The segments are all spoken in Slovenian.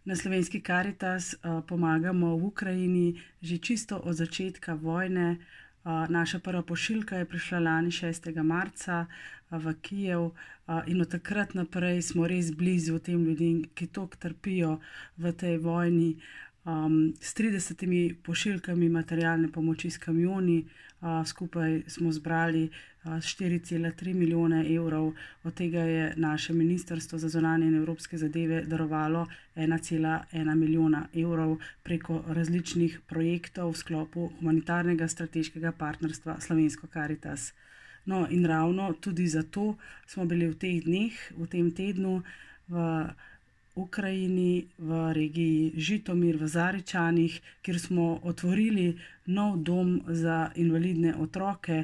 Na Slovenski Karitas pomagamo v Ukrajini že čisto od začetka vojne. Naša prva pošiljka je prišla lani 6. marca v Kijev in od takrat naprej smo res blizu tem ljudem, ki toliko trpijo v tej vojni. S 30 pošiljkami materialne pomoči s kamioni, skupaj smo zbrali 4,3 milijone evrov, od tega je naše Ministrstvo za zunanje in evropske zadeve darovalo 1,1 milijona evrov preko različnih projektov v sklopu humanitarnega strateškega partnerstva Slovensko Karitas. No, in ravno tudi zato smo bili v teh dneh, v tem tednu v Ukrajini, v regiji Žitomir, v Zaričanih, kjer smo otvorili nov dom za invalidne otroke,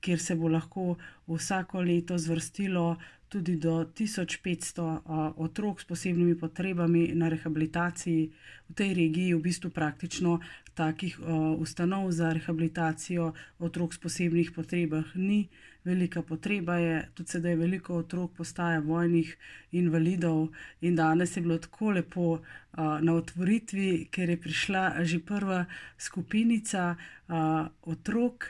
kjer se bo lahko vsako leto zvrstilo tudi do 1500 otrok s posebnimi potrebami na rehabilitaciji. V tej regiji v bistvu praktično takih ustanov za rehabilitacijo otrok s posebnih potrebah ni. Velika potreba je, tudi sedaj veliko otrok postaja vojnih invalidov in danes je bilo tako lepo na otvoritvi, ker je prišla že prva skupinica otrok,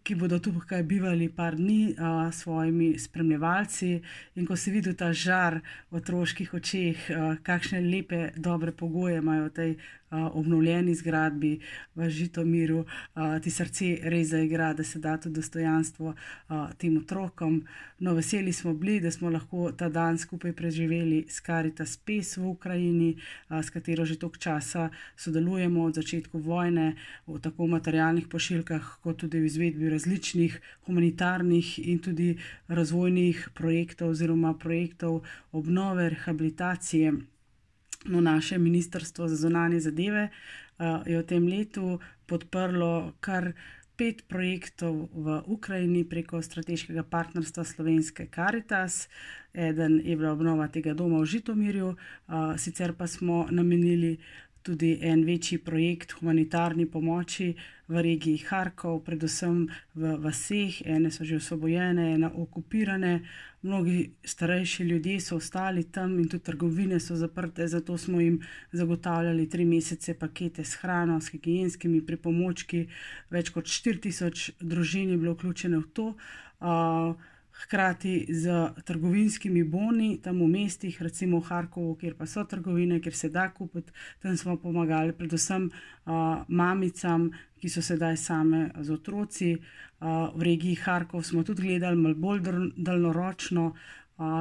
ki bodo tukaj bivali par dni s svojimi spremljevalci, in ko si videl ta žar v otroških očeh, kakšne lepe, dobre pogoje imajo v tej obnovljeni zgradbi v Žitomiru, ti srce res zaigra, da se da tudi dostojanstvo tem otrokom. No, veseli smo bili, da smo lahko ta dan skupaj preživeli s Karitas Pes v Ukrajini, s katero že toliko časa sodelujemo od začetku vojne, v tako materialnih pošiljkah, kot tudi v izvedbi različnih humanitarnih in tudi razvojnih projektov oziroma projektov obnove, rehabilitacije. No, naše Ministrstvo za zunanje zadeve je v tem letu podprlo kar 5 projektov v Ukrajini preko strateškega partnerstva Slovenske Karitas. Eden je bila obnova tega doma v Žitomirju, sicer pa smo namenili tudi en večji projekt humanitarni pomoči v regiji Harkov, predvsem v vaseh, ene so že osvobojene, ene okupirane. Mnogi starejši ljudje so ostali tam in tudi trgovine so zaprte, zato smo jim zagotavljali 3 mesece pakete s hrano, s higienskimi pripomočki. Več kot 4000 družin je bilo vključene v to. Hkrati z trgovinskimi boni tam v mestih, recimo v Harkovu, kjer pa so trgovine, kjer se da kupiti, tam smo pomagali predvsem mamicam, ki so sedaj same z otroci. V regiji Harkov smo tudi gledali malo bolj daljnoročno,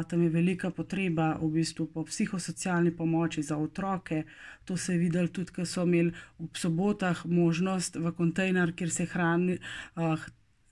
tam je velika potreba v bistvu po psihosocialni pomoči za otroke. To se je videlo tudi, ko so imeli ob sobotah možnost v kontejner, kjer se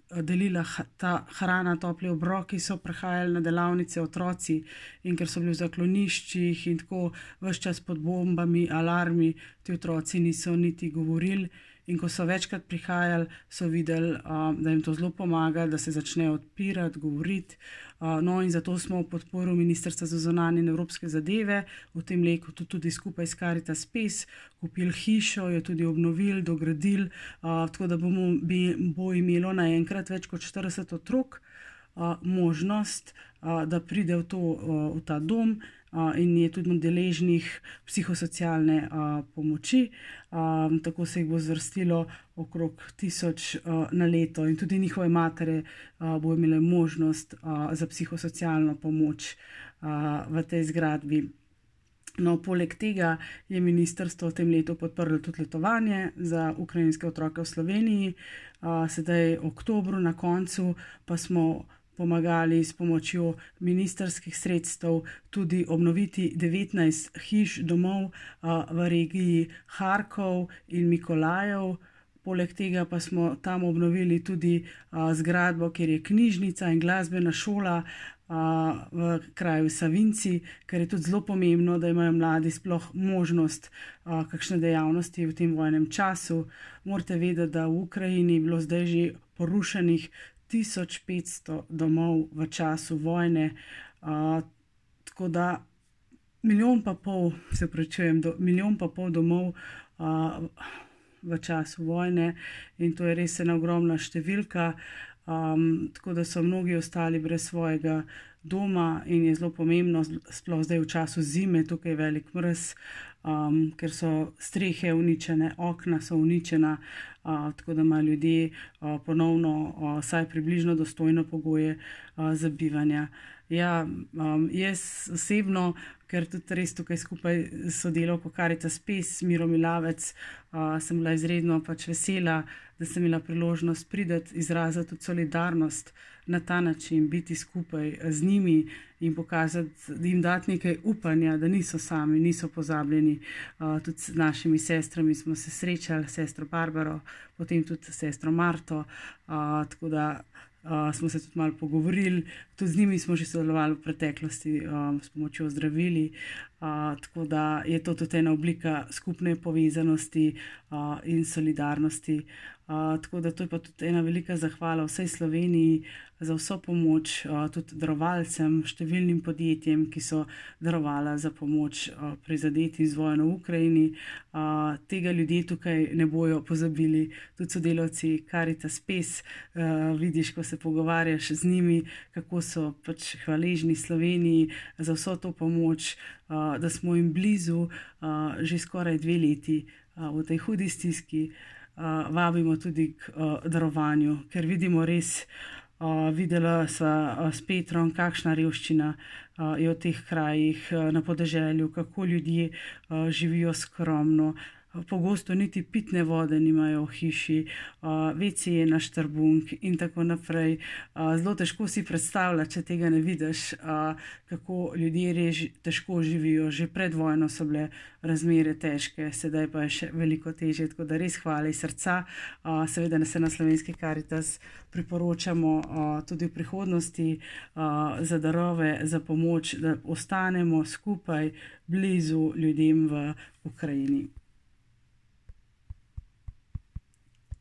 delila ta hrana, topli obroki, so prihajali na delavnice otroci, in ker so bili v zakloniščih in tako ves čas pod bombami, alarmi, ti otroci niso niti govorili. In ko so večkrat prihajali, so videli, da jim to zelo pomaga, da se začnejo odpirati, govoriti. No, in zato smo v podporu Ministrstva za zunanje in evropske zadeve v tem letu tudi skupaj s Karitas Pes kupili hišo, jo tudi obnovili, dogradili, tako da bo imelo naenkrat več kot 40 otrok možnost, da pride v ta dom in je tudi deležnih psihosocialne pomoči. Tako se jih bo zvrstilo okrog 1000 na leto in tudi njihove matere bo imele možnost za psihosocialno pomoč v tej zgradbi. No, poleg tega je ministrstvo v tem letu podprlo tudi letovanje za ukrajinske otroke v Sloveniji. Sedaj v oktobru na koncu pa smo pomagali s pomočjo ministrskih sredstev tudi obnoviti 19 hiš, domov v regiji Harkov in Mikolajev. Poleg tega pa smo tam obnovili tudi zgradbo, kjer je knjižnica in glasbena šola v kraju Savinci, ker je tudi zelo pomembno, da imajo mladi sploh možnost kakšne dejavnosti v tem vojnem času. Morate vedeti, da v Ukrajini je bilo zdaj že porušenih 1500 domov v času vojne, tako da 1,5 milijona domov v času vojne, in to je res ena ogromna številka. tako da so mnogi ostali brez svojega doma in je zelo pomembno, sploh zdaj v času zime, tukaj je velik mraz, ker so strehe uničene, okna so uničena, tako da imajo ljudje ponovno vsaj približno dostojne pogoje za bivanje. Ja, jaz osebno, ker tudi res tukaj skupaj s sodelavko Karitas Pes, Miro Milavec, sem bila izredno vesela, da sem imela priložnost priti, izraziti tudi solidarnost na ta način, biti skupaj z njimi in pokazati, da jim dati nekaj upanja, da niso sami, niso pozabljeni. Tudi s našimi sestrami smo se srečali, sestro Barbaro, potem tudi sestro Marto, tako da smo se tudi malo pogovorili, tudi z njimi smo že sodelovali v preteklosti s pomočjo zdravili, tako da je to tudi ena oblika skupne povezanosti in solidarnosti. Tako da to je pa tudi ena velika zahvala vsej Sloveniji za vso pomoč, tudi darovalcem, številnim podjetjem, ki so darovala za pomoč prizadetim z vojno v Ukrajini. Tega ljudje tukaj ne bojo pozabili, tudi sodelavci Karitas Pes, vidiš, ko se pogovarjaš z njimi, kako so hvaležni Sloveniji za vso to pomoč, da smo jim blizu že skoraj 2 leti v tej hudi stiski. Vabimo tudi k darovanju, ker vidimo res, videla sva s Petrom, kakšna revščina je v teh krajih na podeželju, kako ljudje živijo skromno, pogosto niti pitne vode nimajo v hiši, WC je na štrbunk in tako naprej. Zelo težko si predstavljati, če tega ne vidiš, kako ljudje res težko živijo. Že pred vojno so bile razmere težke, sedaj pa je še veliko težje, tako da res hvala iz srca. Seveda se na Slovenski Karitas priporočamo tudi v prihodnosti za darove, za pomoč, da ostanemo skupaj blizu ljudem v Ukrajini.